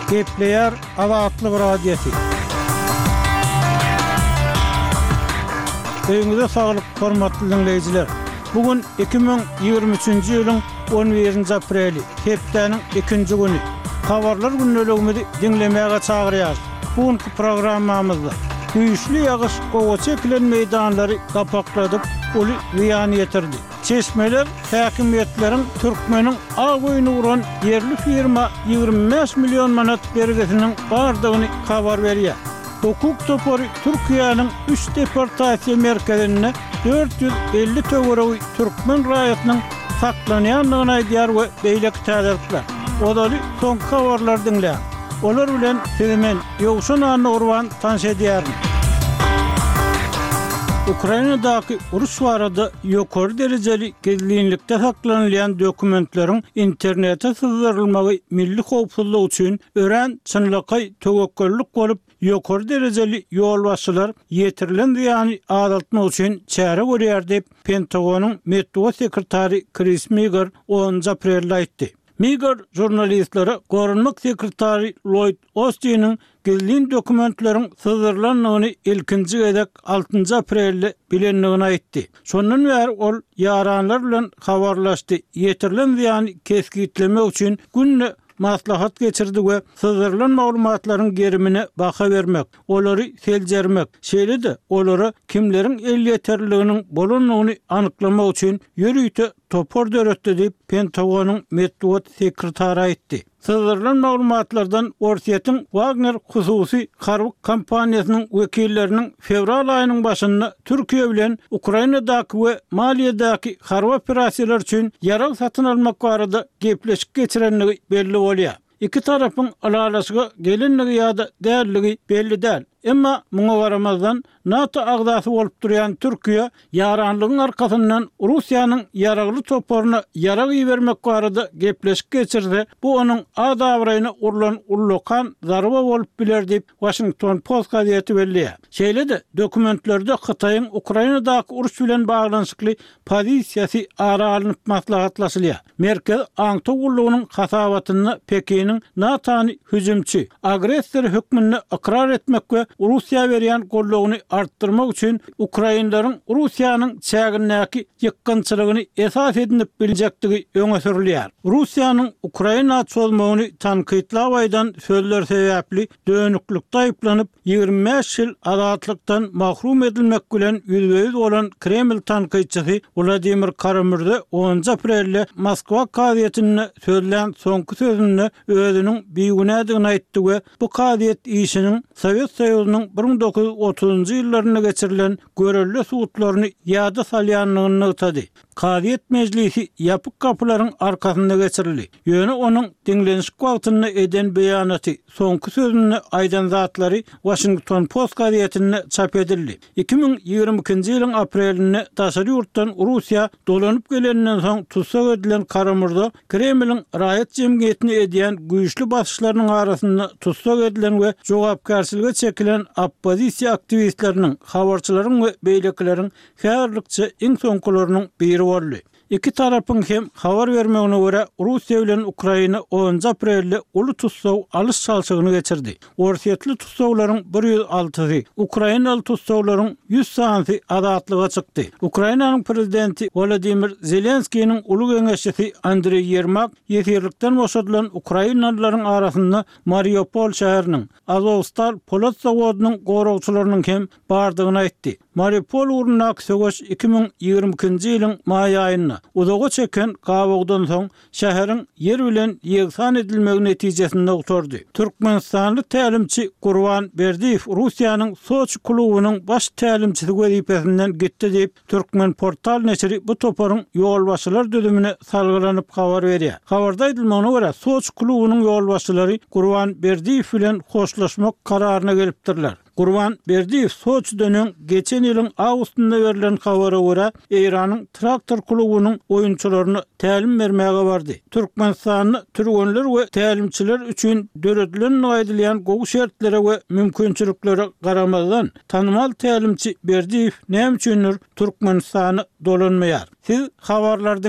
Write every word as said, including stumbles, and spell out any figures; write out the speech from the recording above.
Gepleýär Azatlyk Radiosy. Öýüňize saglyk, hormatly diňleýjiler! Bu gün iki müň ýigrimi üçünji ýylyň on birinji apreli, hepdäniň ikinji güni. Habarlar gündeligimizi diňlemäge çagyrýarys. Bu günki programmamyzda güýçli ýagyş gowaça ekilen meýdanlary gapakladyp, uly zyýan ýetirdi. Çeşmeler häkimiýetleriň türkmeniň ak öýüni guran ýerli firma ýigrimi bäş million manat bergisiniň bardygyny habar berýär. Hukuk topary Türkiýäniň üç deportasiýa merkezinde dört ýüz elli töweregi türkmen raýatynyň saklanýandygyny aýdýar we beýleki täzelikler. Ozaly soňky habarlary diňläň. Olar bilen sizi men, Ýowşan Annagurban tanyş edýärin. Ukrainadaky uruş barada ýokary derejeli gizlinlikde saklanylýan dokumentleriň internete syzdyrylmagy milli howpsuzlyk üçin örän çynlakaý töwekgellik bolup, ýokary derejeli ýolbaşçylar ýetirilen zyýany azaltmak üçin çäre görýär diýip, Pentagonyň metbugat sekretary Kris Miger onunjy aprelde aýtdy. Miger žurnalistlere goranmak sekretary Lloýd Ostiniň gizlin dokumentleriň syzdyrylandygyny ilkinji gezek altynjy aprelde bilendigini aýtdy. Şondan bäri ol ýaranlar bilen habarlaşdy, ýetirilen zyýany kesgitlemek üçin günde maslahat geçirdi we syzdyrylan maglumatlaryň gerimine baha bermek, olary seljermek, şeýle-de olara kimleriň elýeterliliginiň bolandygyny anyklamak üçin ýörite topar döretdi diýip, Pentagonyň metbugat sekretary aýtdy. Syzdyrylan maglumatlardan Orsýetiň Wagner hususy harby kompaniýasynyň wekilleriniň fewral aýynyň başynda Türkiýe bilen Ukrainadaky we Maliýedäki harby operasiýalar üçin ýarag satyn almak barada gepleşik geçirendigi belli bolýar. Iki tarapyň ylalaşyga gelendigi ýa-da däldigi belli däl. Emma muňa garamazdan, NATO agzasy bolup durýan Türkiýe ýaranlygyň arkasyndan Russiýanyň ýaragly toparyna ýarag ibermek barada gepleşik geçirse, bu onuň at-abraýyna urlan ullakan zarba bolup biler diýip, Washington Post gazeti belleýär. Şeýle-de, dokumentlerde Hytaýyň Ukrainadaky uruş bilen baglanyşykly pozisiýasy ara alnyp maslahatlaşylýar. Merkezi aňtaw gullugynyň hasabatynda Pekiniň NATO-ny hüjümçi, agressor hökmünde ykrar etmek we Russiýa berýän goldawyny artdyrmak üçin ukrainleriň Russiýanyň çägindäki ýykgynçylygyny esas edinip biljekdigi öňe sürülýär. Russiýanyň Ukraina çozmagyny tankytlap aýdan sözleri sebäpli dönüklikde aýyplanyp, ýigrimi bäş ýyl azatlykdan mahrum edilmek bilen ýüzbe-ýüz bolan Kreml tankytçysy Wladimir Kara-Mürze onunjy aprelde Moskwa kazyýetinde sözlän soňky sözünde özüniň bigünädigini aýtdy we bu kazyýet işiniň Sowet Soýuzynyň bir müň dokuz ýüz otuzynjy ýyllarynda geçirilen görelde sudlaryny ýada salýandygyny nygtady. Kazyýet mejlisi ýapyk gapylaryň arkasynda geçirildi. Ýöne onuň diňlenişik wagtynda eden beýanaty, soňky sözünde aýdan zatlary Washington Post gazetinde çap edildi. Iki müň ýigrimi ikinji ýylyň aprelinde daşary ýurtdan Russiýa dolanyp geleninden soň tussag edilen Kara-Murza Kremliň raýat jemgyýetine edýän güýçli basyşlarynyň arasynda tussag edilen we jogapkärçilige çekilen oppozisiýa aktiwistleriniň, habarçylaryň we beýlekileriň häzirlikçe iň soňkularynyň biri boldy. Iki tarapyň hem habar bermegine görä, Russiýa bilen Ukraina onunjy aprelde uly tussag alyş-çalşygyny geçirdi. Orsýetli tussaglaryň bir ýüz altysy, ukrainaly tussaglaryň ýüz sanysy azatlyga çykdy. Ukrainanyň prezidenti Wolodymyr Zelenskiniň uly geňeşçisi Andreý Ýermak ýesirlikden boşadylan ukrainalylaryň arasynda Mariupol şäheriniň Azowstal polat zawodynyň goragçylarynyň hem bardygyny aýtdy. Mariupol ugrundaky söweş iki müň ýigrimi ikinji ýylyň maý aýynda, uzaga çeken gabawdan soň, şäheriň ýer bilen ýegsan edilmegi netijesinde gutardy. Türkmenistanly tälimçi Gurban Berdiýew Russiýanyň Soçi klubunyň baş tälimçisi wezipesinden gitdi diýip, Türkmenportal neşiri bu toparyň ýolbaşçylar düzümine salgylanyp habar berýär. Habarda aýdylmagyna görä, Soçi klubunyň ýolbaşçylary Gurban Berdiýew bilen hoşlaşmak kararyna gelipdirler. Gurban Berdiýew Soçiden öň geçen ýylyň awgustynda berlen habara görä, Eýranyň Traktor klubunyň oýunçylaryna tälim bermäge bardy. Türkmenistanda türgenler we tälimçiler üçin döredilendigi aýdylýan gowy şertlere we mümkinçiliklere garamazdan, tanymal tälimçi Berdiýew näme üçindir Türkmenistana dolanmaýar. Siz habarlary diňläp.